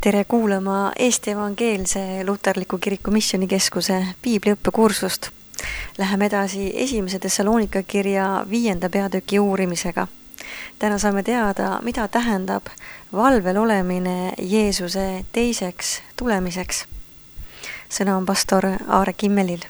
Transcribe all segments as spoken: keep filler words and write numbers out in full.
Tere kuulama Eesti Evangeelse Luterliku Kiriku Missioonikeskuse piibliõppekursust. Läheme edasi esimese Thessalonika kirja viienda peatüki uurimisega. Täna saame teada, mida tähendab valvel olemine Jeesuse teiseks tulemiseks. Sõna on pastor Aare Kimmelil.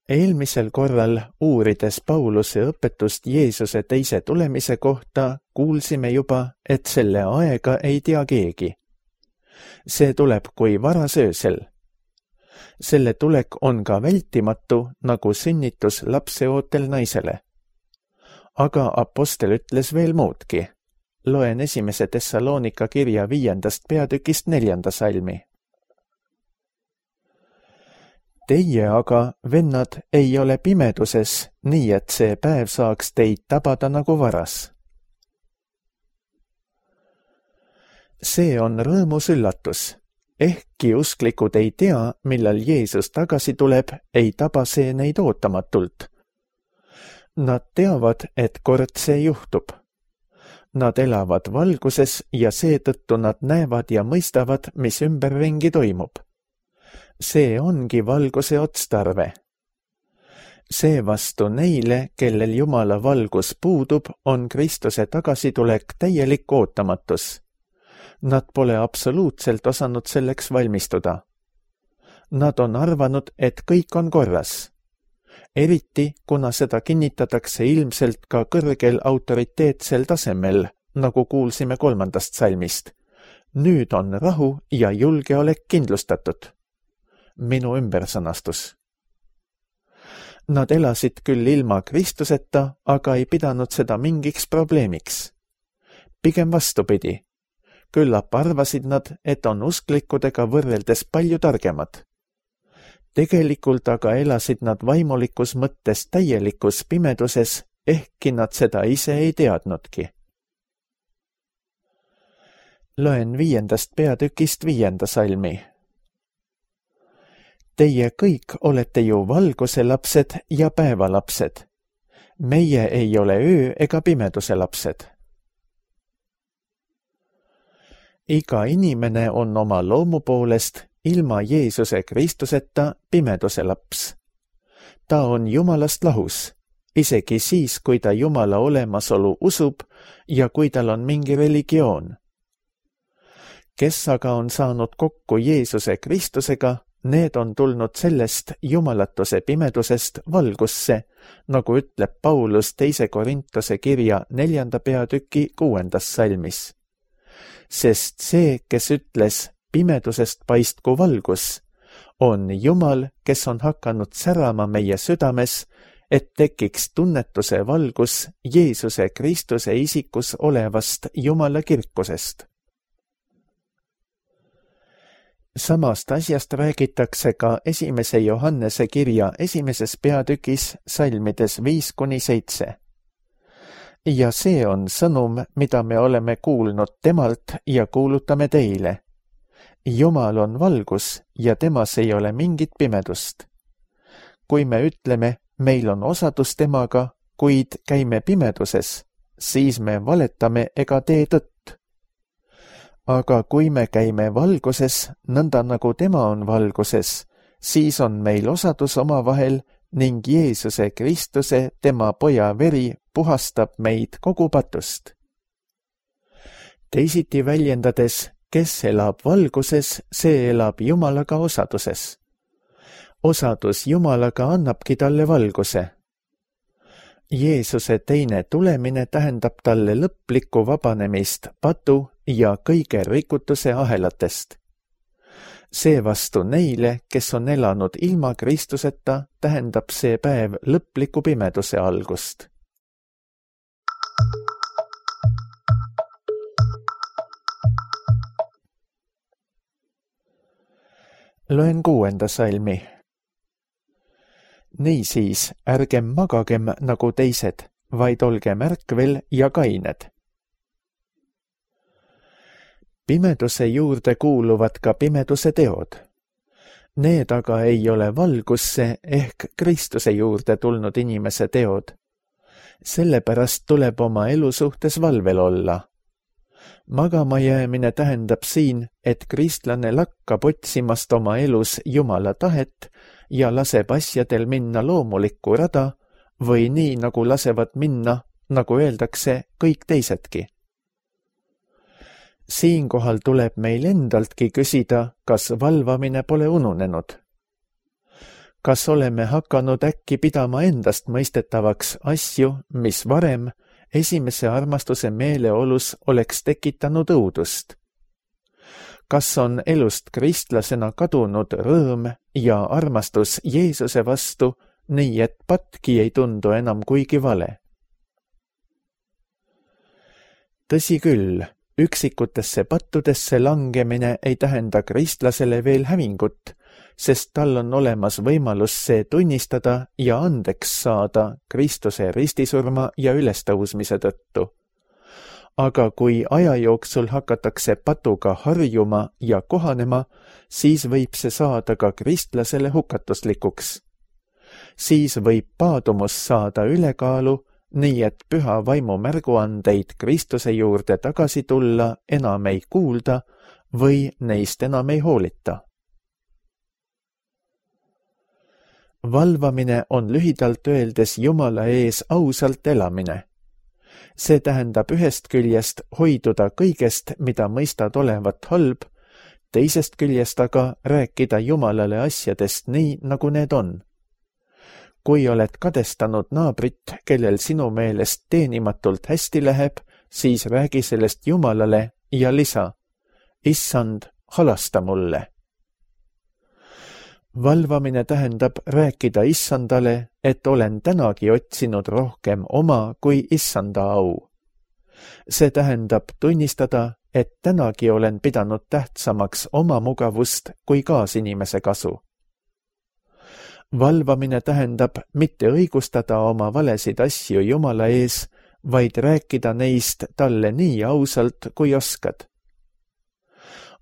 Eelmisel korral uurides Pauluse õpetust Jeesuse teise tulemise kohta, kuulsime juba, et selle aega ei tea keegi. See tuleb kui varasöösel. Selle tulek on ka vältimatu, nagu sünnitus lapseootel naisele. Aga apostel ütles veel muudki. Loen esimese Thessalonika kirja viiendast peatükist neljanda salmi. Teie aga, vennad, ei ole pimeduses, nii et see päev saaks teid tabada nagu varas. See on rõõmus üllatus. Ehkki usklikud ei tea, millal Jeesus tagasi tuleb, ei taba see neid ootamatult. Nad teavad, et kord see juhtub. Nad elavad valguses ja seetõttu nad näevad ja mõistavad, mis ümberringi toimub. See ongi valguse otstarve. Seevastu neile, kellel Jumala valgus puudub, on Kristuse tagasitulek täielik ootamatus. Nad pole absoluutselt osanud selleks valmistuda. Nad on arvanud, et kõik on korras. Eriti, kuna seda kinnitatakse ilmselt ka kõrgel autoriteetsel tasemel, nagu kuulsime kolmandast salmist. Nüüd on rahu ja julgeolek kindlustatud. Minu ümbersõnastus. Nad elasid küll ilma Kristuseta, aga ei pidanud seda mingiks probleemiks. Pigem vastupidi. Küllap arvasid nad, et on usklikudega võrreldes palju targemad. Tegelikult aga elasid nad vaimulikus mõttes täielikus pimeduses, ehkki nad seda ise ei teadnudki. Loen viiendast peatükist viienda salmi. Teie kõik olete ju valguse lapsed ja päevalapsed. Meie ei ole öö ega pimeduse lapsed. Iga inimene on oma loomu poolest ilma Jeesuse Kristuseta pimeduse laps. Ta on Jumalast lahus, isegi siis, kui ta Jumala olemasolu usub ja kui tal on mingi religioon. Kes aga on saanud kokku Jeesuse Kristusega, need on tulnud sellest jumalatuse pimedusest valgusse, nagu ütleb Paulus teise Korintuse kirja neljanda peatüki kuuendas salmis. Sest see, kes ütles pimedusest paistku valgus, on Jumal, kes on hakanud särama meie südames, et tekiks tunnetuse valgus Jeesuse Kristuse isikus olevast Jumala kirkusest. Samast asjast räägitakse ka esimese Johannese kirja esimeses peatükis salmides viis kuni seitse. Ja see on sõnum, mida me oleme kuulnud temalt ja kuulutame teile. Jumal on valgus ja temas ei ole mingit pimedust. Kui me ütleme, meil on osadus temaga, kuid käime pimeduses, siis me valetame ega tee tõtt. Aga kui me käime valguses, nõnda nagu tema on valguses, siis on meil osadus omavahel ning Jeesuse Kristuse, tema poja veri, puhastab meid kogu patust. Teisiti väljendades, kes elab valguses, see elab Jumalaga osaduses. Osadus Jumalaga annabki talle valguse. Jeesuse teine tulemine tähendab talle lõplikku vabanemist patu ja kõige rikutuse ahelatest. Seevastu neile, kes on elanud ilma Kristuseta, tähendab see päev lõpliku pimeduse algust. Loen kuuenda salmi. Niisiis, ärgem magagem nagu teised, vaid olgem ärkvel ja kained. Pimeduse juurde kuuluvad ka pimeduse teod. Need aga ei ole valgusse ehk Kristuse juurde tulnud inimese teod. Sellepärast tuleb oma elu suhtes valvel olla. Magama jäämine tähendab siin, et kristlane lakkab otsimast oma elus Jumala tahet ja laseb asjadel minna loomulikku rada või nii, nagu lasevad minna, nagu öeldakse, kõik teisedki. Siinkohal tuleb meil endaltki küsida, kas valvamine pole ununenud. Kas oleme hakanud äkki pidama endast mõistetavaks asju, mis varem esimese armastuse meeleolus oleks tekitanud õudust? Kas on elust kristlasena kadunud rõõm ja armastus Jeesuse vastu, nii et patki ei tundu enam kuigi vale? Tõsi küll, üksikutesse pattudesse langemine ei tähenda kristlasele veel hävingut, sest tal on olemas võimalus see tunnistada ja andeks saada Kristuse ristisurma ja ülestõusmise tõttu. Aga kui aja jooksul hakatakse patuga harjuma ja kohanema, siis võib see saada ka kristlasele hukatuslikuks. Siis võib paadumus saada ülekaalu, nii et püha vaimu märguandeid Kristuse juurde tagasi tulla enam ei kuulda või neist enam ei hoolita. Valvamine on lühidalt öeldes Jumala ees ausalt elamine. See tähendab ühest küljest hoiduda kõigest, mida mõistad olevat halb, teisest küljest aga rääkida Jumalale asjadest nii, nagu need on. Kui oled kadestanud naabrit, kellel sinu meelest teenimatult hästi läheb, siis räägi sellest Jumalale ja lisa: Issand, halasta mulle. Valvamine tähendab rääkida Issandale, et olen tänagi otsinud rohkem oma kui Issanda au. See tähendab tunnistada, et tänagi olen pidanud tähtsamaks oma mugavust kui kaasinimese kasu. Valvamine tähendab mitte õigustada oma valesid asju Jumala ees, vaid rääkida neist talle nii ausalt, kui oskad.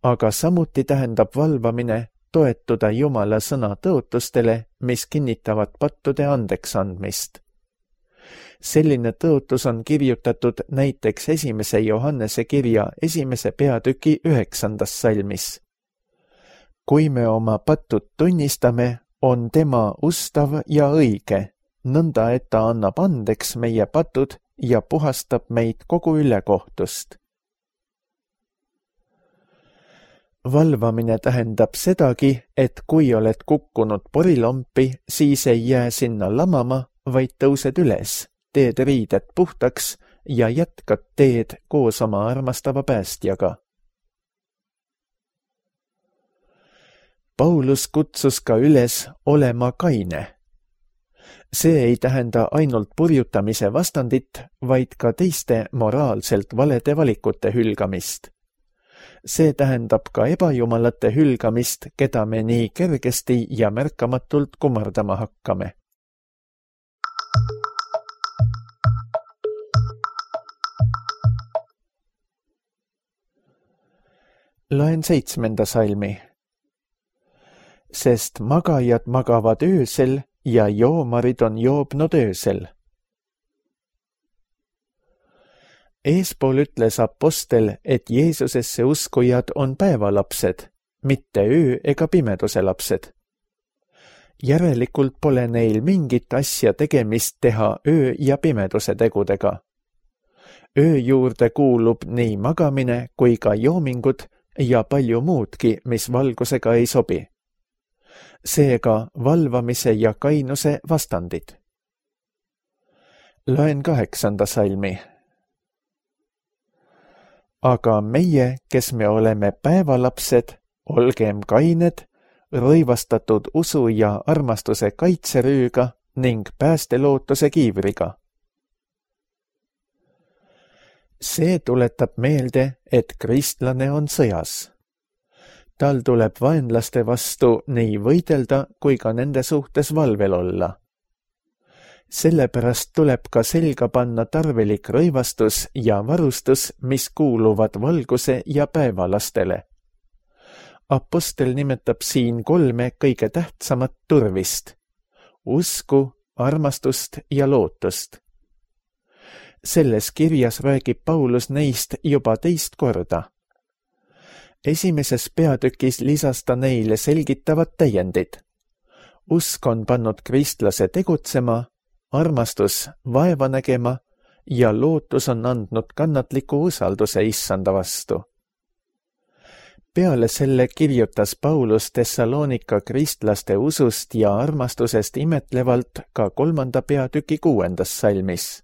Aga samuti tähendab valvamine toetuda Jumala sõna tõotustele, mis kinnitavad pattude andeks andmist. Selline tõotus on kirjutatud näiteks esimese Johannese kirja esimese peatüki üheksandas salmis. Kui me oma pattud tunnistame, on tema ustav ja õige, nõnda et ta annab andeks meie patud ja puhastab meid kogu ülekohtust. Valvamine tähendab sedagi, et kui oled kukkunud porilompi, siis ei jää sinna lamama, vaid tõused üles, teed riided puhtaks ja jätkad teed koos oma armastava päästjaga. Paulus kutsus ka üles olema kaine. See ei tähenda ainult purjutamise vastandit, vaid ka teiste moraalselt valede valikute hülgamist. See tähendab ka ebajumalate hülgamist, keda me nii kergesti ja märkamatult kummardama hakkame. Loen seitsmenda salmi. Sest magajad magavad öösel ja joomarid on joobnud öösel. Eespool ütles apostel, et Jeesusesse uskujad on päevalapsed, mitte öö ega pimeduse lapsed. Järelikult pole neil mingit asja tegemist teha öö ja pimeduse tegudega. Öö juurde kuulub nii magamine kui ka joomingud ja palju muudki, mis valgusega ei sobi. Seega valvamise ja kainuse vastandid. Loen kaheksanda salmi. Aga meie, kes me oleme päevalapsed, olgem kained, rõivastatud usu ja armastuse kaitserüüga ning päästelootuse kiivriga. See tuletab meelde, et kristlane on sõjas. Tal tuleb vaenlaste vastu nii võidelda kui ka nende suhtes valvel olla. Sellepärast tuleb ka selga panna tarvilik rõivastus ja varustus, mis kuuluvad valguse ja päevalastele. Apostel nimetab siin kolme kõige tähtsamat turvist: usku, armastust ja lootust. Selles kirjas räägib Paulus neist juba teist korda. Esimeses peatükis lisas ta neile selgitavad täiendid. Usk on pannud kristlase tegutsema, armastus vaeva nägema ja lootus on andnud kannatliku usalduse issanda vastu. Peale selle kirjutas Paulus Thessalonika kristlaste usust ja armastusest imetlevalt ka kolmanda peatüki kuuendas salmis.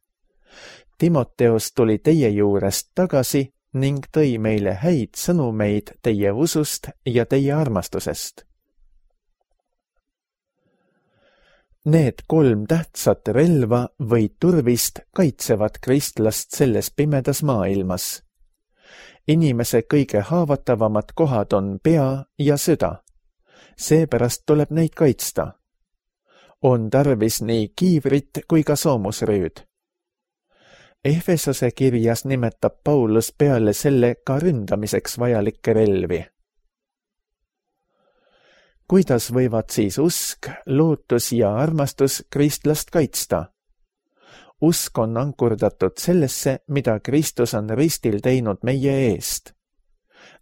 Timoteos tuli teie juurest tagasi ning tõi meile häid sõnumeid teie usust ja teie armastusest. Need kolm tähtsat relva või turvist kaitsevad kristlast selles pimedas maailmas. Inimese kõige haavatavamad kohad on pea ja süda. Seepärast tuleb neid kaitsta. On tarvis nii kiivrit kui ka soomusrüüd. Efesose kirjas nimetab Paulus peale selle ka ründamiseks vajalikke relvi. Kuidas võivad siis usk, lootus ja armastus kristlast kaitsta? Usk on ankurdatud sellesse, mida Kristus on ristil teinud meie eest.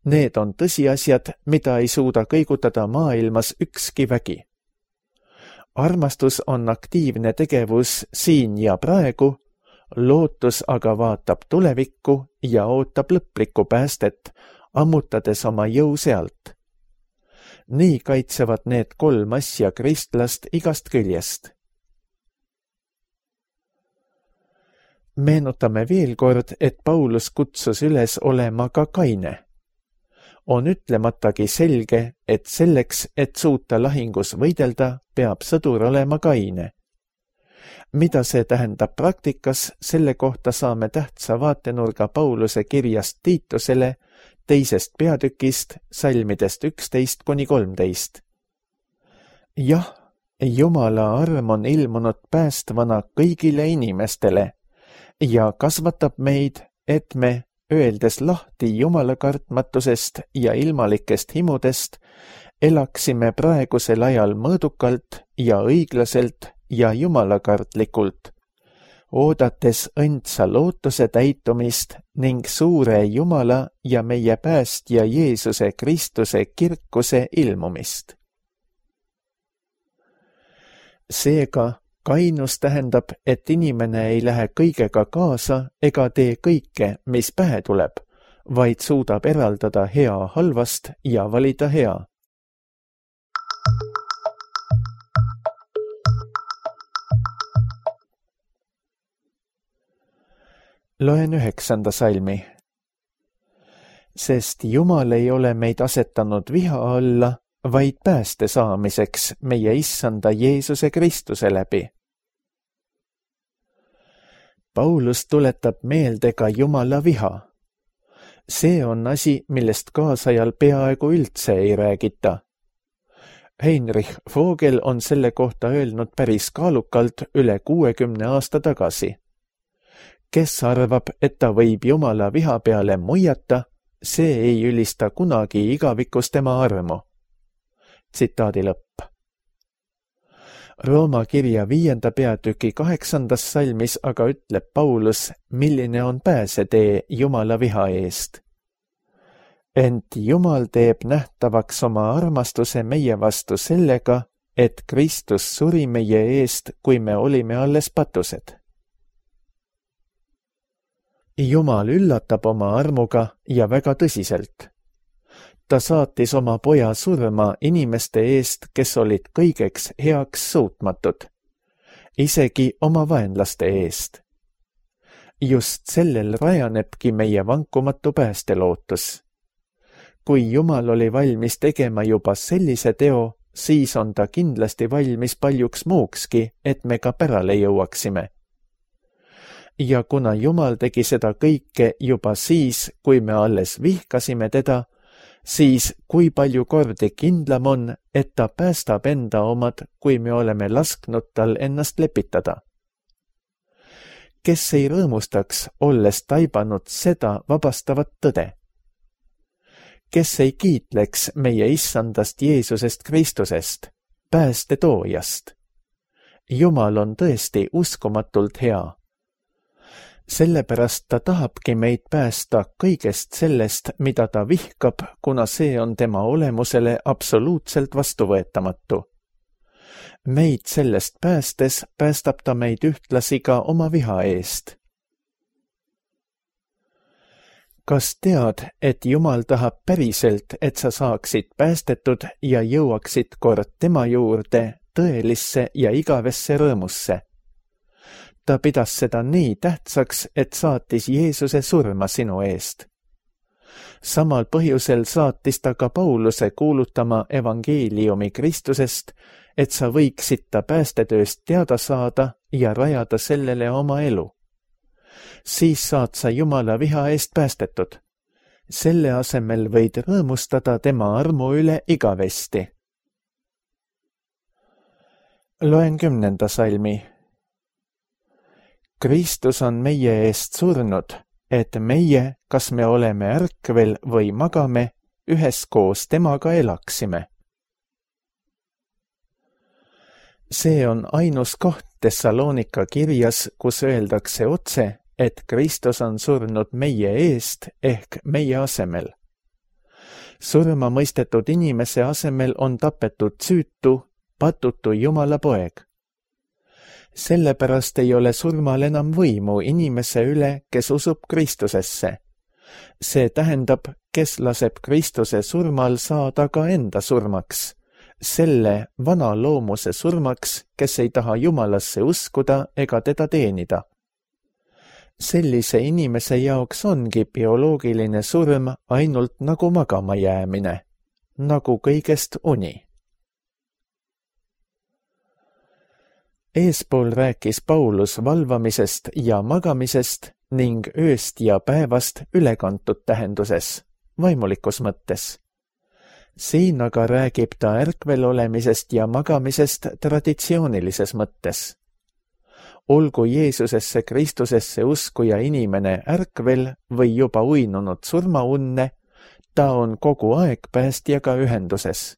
Need on tõsiasjad, mida ei suuda kõigutada maailmas ükski vägi. Armastus on aktiivne tegevus siin ja praegu, lootus aga vaatab tulevikku ja ootab lõplikku päästet, ammutades oma jõu sealt. Nii kaitsevad need kolm asja kristlast igast küljest. Meenutame veel kord, et Paulus kutsus üles olema ka kaine. On ütlematagi selge, et selleks, et suuta lahingus võidelda, peab sõdur olema kaine. Mida see tähendab praktikas, selle kohta saame tähtsa vaatenurga Pauluse kirjast Tiitusele, teisest peatükist, salmidest üksteist kuni kolmteist. Jah, Jumala arm on ilmunud päästvana kõigile inimestele ja kasvatab meid, et me, öeldes lahti Jumala kartmatusest ja ilmalikest himudest, elaksime praegusel ajal mõõdukalt ja õiglaselt ja jumalakartlikult, oodates õndsa lootuse täitumist ning suure Jumala ja meie päästja Jeesuse Kristuse kirkuse ilmumist. Seega, kainus tähendab, et inimene ei lähe kõigega kaasa ega tee kõike, mis pähe tuleb, vaid suudab eraldada hea halvast ja valida hea. Loen üheksanda salmi. Sest Jumal ei ole meid asetanud viha alla, vaid pääste saamiseks meie issanda Jeesuse Kristuse läbi. Paulus tuletab meelde ka Jumala viha. See on asi, millest kaasajal peaaegu üldse ei räägita. Heinrich Vogel on selle kohta öelnud päris kaalukalt üle kuuekümne aasta tagasi. Kes arvab, et ta võib Jumala viha peale muiata, see ei ülista kunagi igavikus tema armu. Tsitaadi lõpp. Rooma kirja viienda peatüki kaheksandas salmis aga ütleb Paulus, milline on pääsetee Jumala viha eest. Ent Jumal teeb nähtavaks oma armastuse meie vastu sellega, et Kristus suri meie eest, kui me olime alles patused. Jumal üllatab oma armuga ja väga tõsiselt. Ta saatis oma poja surma inimeste eest, kes olid kõigeks heaks suutmatud, isegi oma vaenlaste eest. Just sellel rajanebki meie vankumatu päästelootus. Kui Jumal oli valmis tegema juba sellise teo, siis on ta kindlasti valmis paljuks muukski, et me ka pärale jõuaksime. Ja kuna Jumal tegi seda kõike juba siis, kui me alles vihkasime teda, siis kui palju kordi kindlam on, et ta päästab enda omad, kui me oleme lasknud tal ennast lepitada. Kes ei rõõmustaks, olles taibanud seda vabastavat tõde? Kes ei kiitleks meie issandast Jeesusest Kristusest, päästetoojast? Jumal on tõesti uskumatult hea. sellepärast ta tahabki meid päästa kõigest sellest, mida ta vihkab, kuna see on tema olemusele absoluutselt vastuvõetamatu. Meid sellest päästes päästab ta meid ühtlasi ka oma viha eest. Kas tead, et Jumal tahab päriselt, et sa saaksid päästetud ja jõuaksid kord tema juurde tõelisse ja igavesse rõõmusse? Ta pidas seda nii tähtsaks, et saatis Jeesuse surma sinu eest. Samal põhjusel saatis ta ka Pauluse kuulutama evangeeliumi Kristusest, et sa võiksid ta päästetööst teada saada ja rajada sellele oma elu. Siis saad sa Jumala viha eest päästetud. Selle asemel võid rõõmustada tema armu üle igavesti. Loen kümnenda salmi. Kristus on meie eest surnud, et meie, kas me oleme ärkvel või magame, üheskoos temaga elaksime. See on ainus koht Thessalonika kirjas, kus öeldakse otse, et Kristus on surnud meie eest ehk meie asemel. Surma mõistetud inimese asemel on tapetud süütu, patutu Jumala poeg. Sellepärast ei ole surmal enam võimu inimese üle, kes usub Kristusesse. See tähendab, kes laseb Kristuse surmal saada ka enda surmaks, selle vana loomuse surmaks, kes ei taha Jumalasse uskuda ega teda teenida. Sellise inimese jaoks ongi bioloogiline surm ainult nagu magama jäämine, nagu kõigest uni. Eespool rääkis Paulus valvamisest ja magamisest ning ööst ja päevast ülekantud tähenduses, vaimulikus mõttes. Siin aga räägib ta ärkvel olemisest ja magamisest traditsioonilises mõttes. Olgu Jeesusesse Kristusesse uskuja inimene ärkvel või juba uinunud surmaunne, ta on kogu aeg päästjaga ühenduses.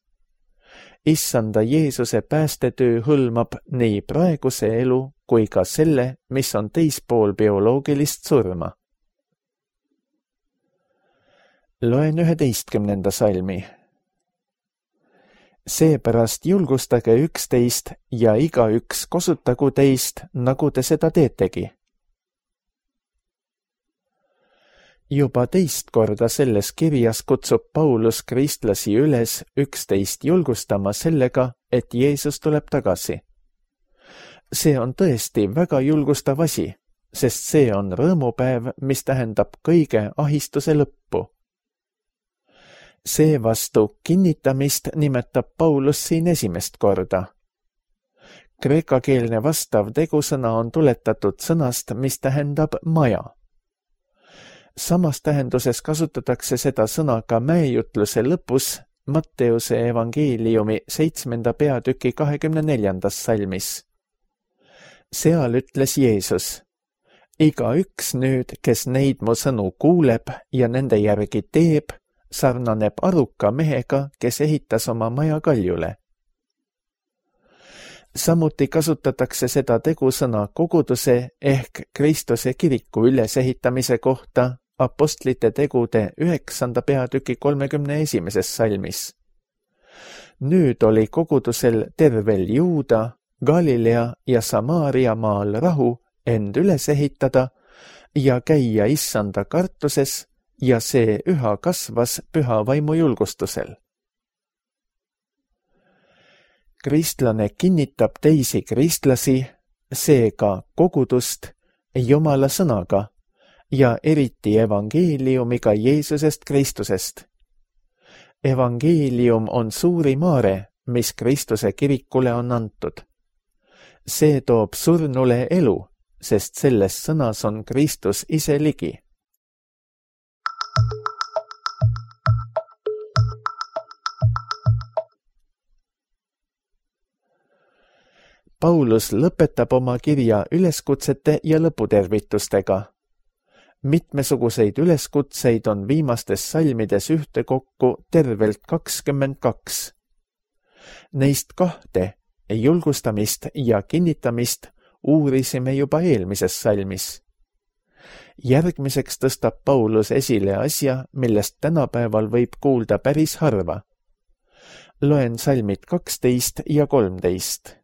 Issanda Jeesuse päästetöö hõlmab nii praeguse elu kui ka selle, mis on teispool bioloogilist surma. Loen üheteistkümnenda salmi. Seepärast julgustage üksteist ja igaüks kosutagu teist, nagu te seda teetegi. Juba teist korda selles kirjas kutsub Paulus kristlasi üles üksteist julgustama sellega, et Jeesus tuleb tagasi. See on tõesti väga julgustav asi, sest see on rõõmupäev, mis tähendab kõige ahistuse lõppu. Seevastu kinnitamist nimetab Paulus siin esimest korda. Kreekakeelne vastav tegusõna on tuletatud sõnast, mis tähendab maja. Samas tähenduses kasutatakse seda sõna ka mäejutluse lõpus Matteuse evangeeliumi seitsmenda peatüki kahekümne neljandas salmis. Seal ütles Jeesus, igaüks nüüd, kes neid mu sõnu kuuleb ja nende järgi teeb, sarnaneb aruka mehega, kes ehitas oma maja kaljule. Samuti kasutatakse seda tegusõna koguduse ehk Kristuse kiriku ülesehitamise kohta apostlite tegude üheksanda peatüki kolmekümne esimeses salmis. Nüüd oli kogudusel tervel Juuda, Galilea ja Samaaria maal rahu end üles ehitada ja käia issanda kartuses ja see üha kasvas püha vaimu julgustusel. Kristlane kinnitab teisi kristlasi, seega kogudust, Jumala sõnaga ja eriti evangeeliumiga Jeesusest Kristusest. Evangeelium on suuri maare, mis Kristuse kirikule on antud. See toob surnule elu, sest selles sõnas on Kristus ise ligi. Paulus lõpetab oma kirja üleskutsete ja lõputervitustega. Mitmesuguseid üleskutseid on viimastes salmides ühtekokku tervelt kakskümmend kaks. Neist kahte, julgustamist ja kinnitamist, uurisime juba eelmises salmis. Järgmiseks tõstab Paulus esile asja, millest tänapäeval võib kuulda päris harva. Loen salmid kaksteist ja kolmteist.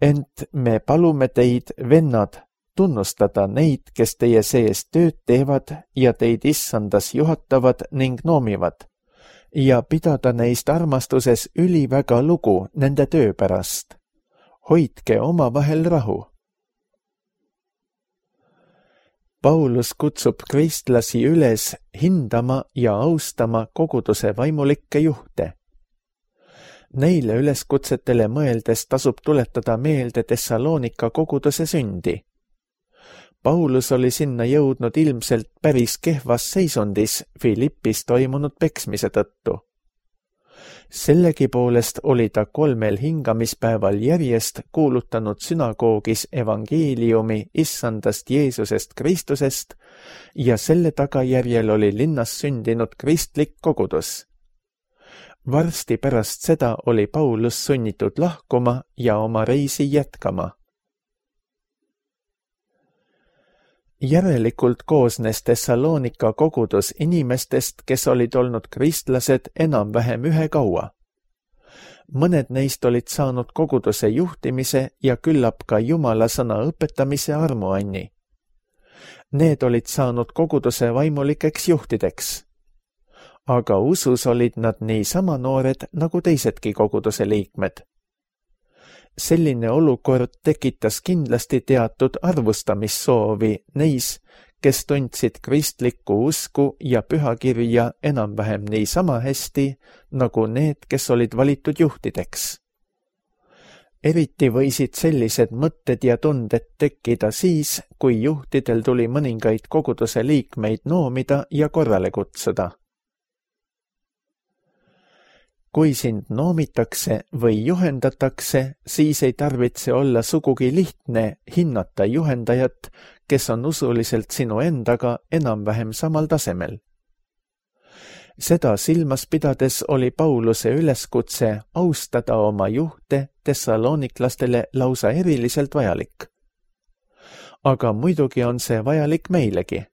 Ent me palume teid, vennad, tunnustada neid, kes teie sees tööd teevad ja teid issandas juhatavad ning noomivad, ja pidada neist armastuses üliväga lugu nende töö pärast. Hoidke omavahel rahu. Paulus kutsub kristlasi üles hindama ja austama koguduse vaimulikke juhte. Neile üleskutsetele mõeldes tasub tuletada meelde Thessalonika koguduse sündi. Paulus oli sinna jõudnud ilmselt päris kehvas seisundis Filippis toimunud peksmise tõttu. Sellegipoolest oli ta kolmel hingamispäeval järjest kuulutanud sünagoogis evangeeliumi issandast Jeesusest Kristusest ja selle tagajärjel oli linnas sündinud kristlik kogudus. Varsti pärast seda oli Paulus sunnitud lahkuma ja oma reisi jätkama. Järelikult koosnes Thessalonika kogudus inimestest, kes olid olnud kristlased enam-vähem ühe kaua. Mõned neist olid saanud koguduse juhtimise ja küllap ka Jumala sõna õpetamise armuanni. Need olid saanud koguduse vaimulikeks juhtideks. Aga usus olid nad niisama noored nagu teisedki koguduse liikmed. Selline olukord tekitas kindlasti teatud arvustamissoovi neis, kes tundsid kristlikku usku ja pühakirja enam-vähem niisama hästi, nagu need, kes olid valitud juhtideks. Eriti võisid sellised mõtted ja tunded tekkida siis, kui juhtidel tuli mõningaid koguduse liikmeid noomida ja korrale kutsuda. Kui sind noomitakse või juhendatakse, siis ei tarvitse olla sugugi lihtne hinnata juhendajat, kes on usuliselt sinu endaga enam-vähem samal tasemel. Seda silmas pidades oli Pauluse üleskutse austada oma juhte tessaloniklastele lausa eriliselt vajalik. Aga muidugi on see vajalik meilegi.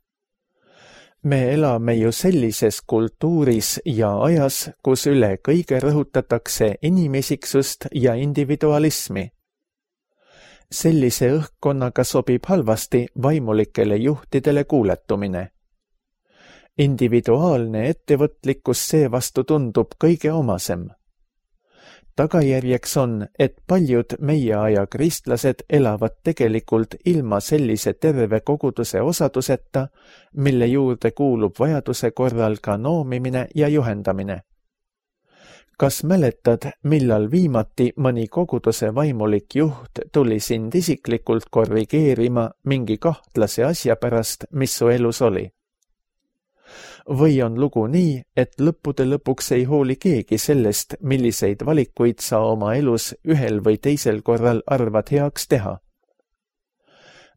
Me elame ju sellises kultuuris ja ajas, kus üle kõige rõhutatakse inimisiksust ja individualismi. Sellise õhkkonnaga sobib halvasti vaimulikele juhtidele kuuletumine. Individuaalne ettevõtlikkus seevastu tundub kõige omasem. Tagajärjeks on, et paljud meie aja kristlased elavad tegelikult ilma sellise terve koguduse osaduseta, mille juurde kuulub vajaduse korral ka noomimine ja juhendamine. Kas mäletad, millal viimati mõni koguduse vaimulik juht tuli sind isiklikult korrigeerima mingi kahtlase asja pärast, mis su elus oli? Või on lugu nii, et lõppude lõpuks ei hooli keegi sellest, milliseid valikuid sa oma elus ühel või teisel korral arvad heaks teha?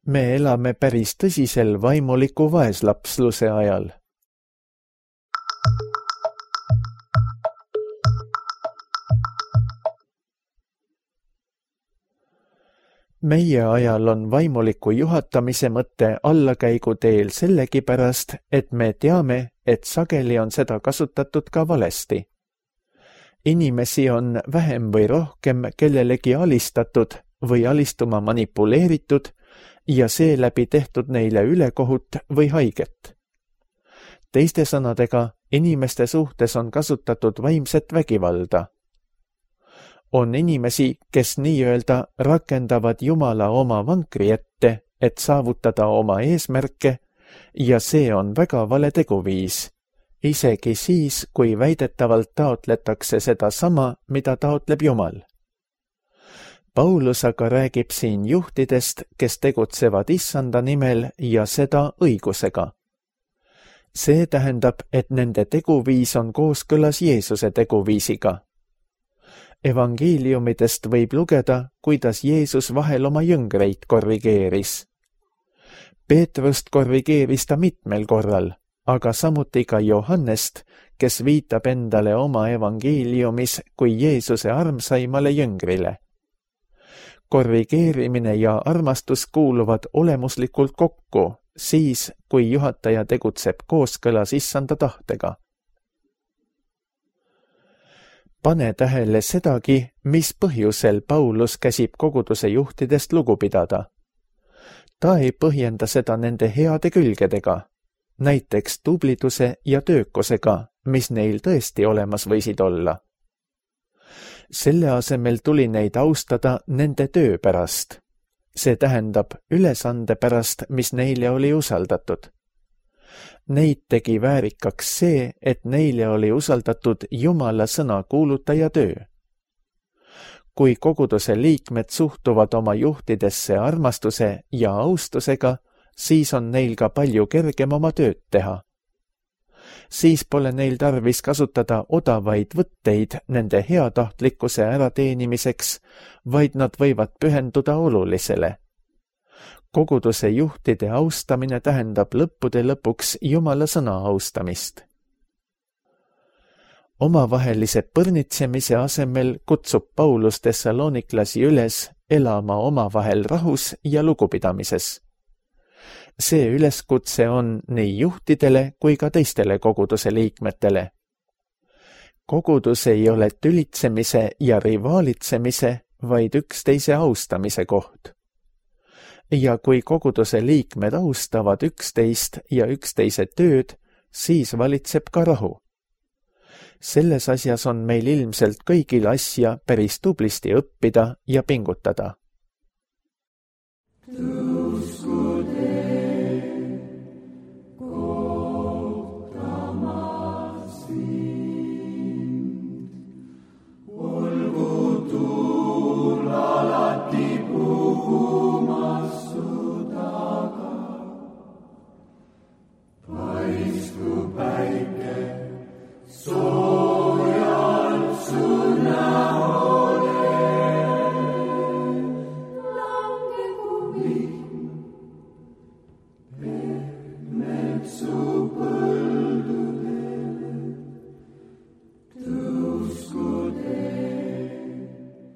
Me elame päris tõsisel vaimuliku vaeslapsluse ajal. Meie ajal on vaimuliku juhatamise mõte allakäiguteel sellegipärast, et me teame, et sageli on seda kasutatud ka valesti. Inimesi on vähem või rohkem kellelegi alistatud või alistuma manipuleeritud ja seeläbi tehtud neile ülekohut või haiget. Teiste sõnadega, inimeste suhtes on kasutatud vaimset vägivalda. On inimesi, kes nii-öelda rakendavad Jumala oma vankri ette, et saavutada oma eesmärke, ja see on väga vale teguviis, isegi siis, kui väidetavalt taotletakse seda sama, mida taotleb Jumal. Paulus aga räägib siin juhtidest, kes tegutsevad issanda nimel ja seda õigusega. See tähendab, et nende teguviis on kooskõlas Jeesuse teguviisiga. Evangeeliumidest võib lugeda, kuidas Jeesus vahel oma jüngreid korrigeeris. Peetrust korrigeeris ta mitmel korral, aga samuti ka Johannest, kes viitab endale oma evangeeliumis kui Jeesuse armsaimale jüngrile. korrigeerimine ja armastus kuuluvad olemuslikult kokku, siis kui juhataja tegutseb kooskõlas issanda tahtega. Pane tähele sedagi, mis põhjusel Paulus käsib koguduse juhtidest lugu pidada. Ta ei põhjenda seda nende heade külgedega, näiteks tubliduse ja töökusega, mis neil tõesti olemas võisid olla. Selle asemel tuli neid austada nende töö pärast. See tähendab ülesande pärast, mis neile oli usaldatud. Neid tegi väärikaks see, et neile oli usaldatud Jumala sõna kuulutaja töö. Kui koguduse liikmed suhtuvad oma juhtidesse armastuse ja austusega, siis on neil ka palju kergem oma tööd teha. Siis pole neil tarvis kasutada odavaid võtteid nende heatahtlikkuse ärateenimiseks, vaid nad võivad pühenduda olulisele. Koguduse juhtide austamine tähendab lõppude lõpuks Jumala sõna austamist. Omavahelise põrnitsemise asemel kutsub Paulus Thessaloniklasi üles elama omavahel rahus ja lugupidamises. See üleskutse on nii juhtidele kui ka teistele koguduse liikmetele. Kogudus ei ole tülitsemise ja rivaalitsemise, vaid üksteise austamise koht. Ja kui koguduse liikmed austavad üksteist ja üksteise tööd, siis valitseb ka rahu. Selles asjas on meil ilmselt kõigil asja päris tublisti õppida ja pingutada.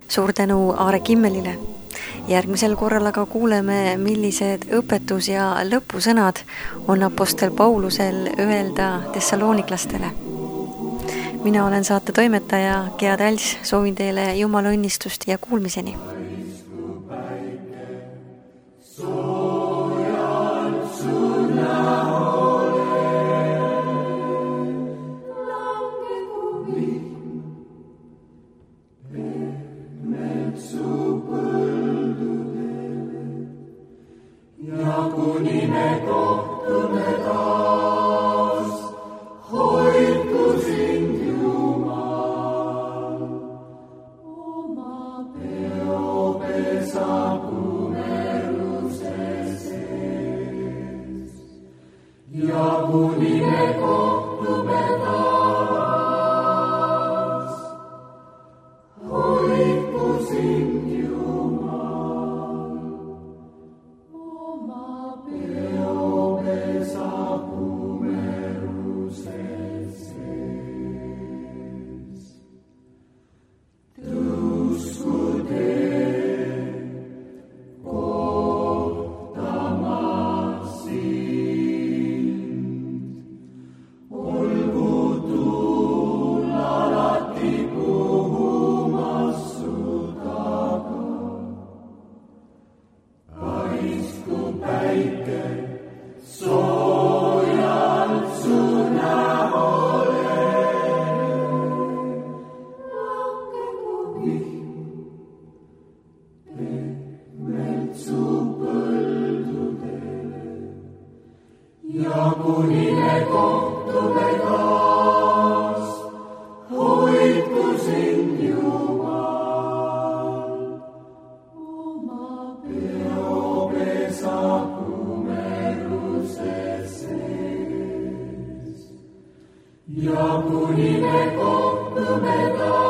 Suur tänu Aare Kimmelile. Järgmisel korral aga kuuleme, millised õpetus- ja lõpusõnad on apostel Paulusel öelda Thessaloniklastele. Mina olen saate toimetaja Gea Täls, soovin teile Jumala õnnistust ja kuulmiseni. Kuni me kohtume taas, hoidku sind Jumal. Oma peopesa kumeruse sees. Ja kuni me kohtume taas, hoidku sind Jumal. Ja kuni me kohtume taas, hoidku sind Jumal. Oma peopesa kumeruse sees. Ja kuni me kohtume taas,